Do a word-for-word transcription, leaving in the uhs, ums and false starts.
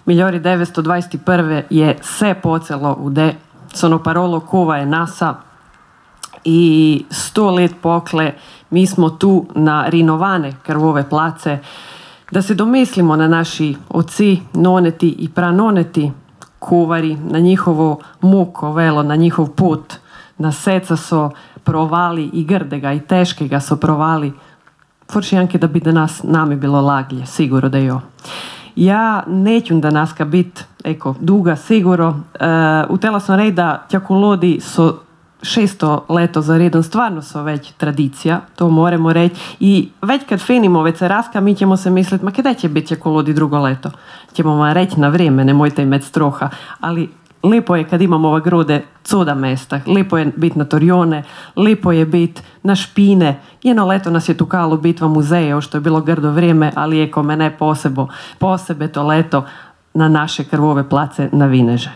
migliori devetstodvadeset je se pocelo u de, sono parolo kuva je nasa i sto let pokle mi smo tu na rinovane krvove place, da se domislimo na naši oci, noneti i pranoneti, kuvari, na njihovo muko velo, na njihov put, na seca so provali i grdega i teškega so provali, forši anke da bi danas nami bilo laglje, siguro da jo. Ja neću da naska bit, eko, duga, siguro. Uh, utela sam reći da tjakulodi so šesto leto za redom, stvarno su već tradicija, to moramo reći. I već kad finimo večeraska, mi ćemo se misliti, ma kada će biti tjakulodi drugo leto? Ćemo vam reći na vrijeme, nemojte imati stroha, ali lipo je kad imamo ova grude cuda mesta, lipo je biti na Torjone, lipo je biti na Špine. Jedno leto nas je tukalo bitva muzeja, što je bilo grdo vrijeme, ali je ko mene posebo, posebe to leto na naše krvove place na Vineže.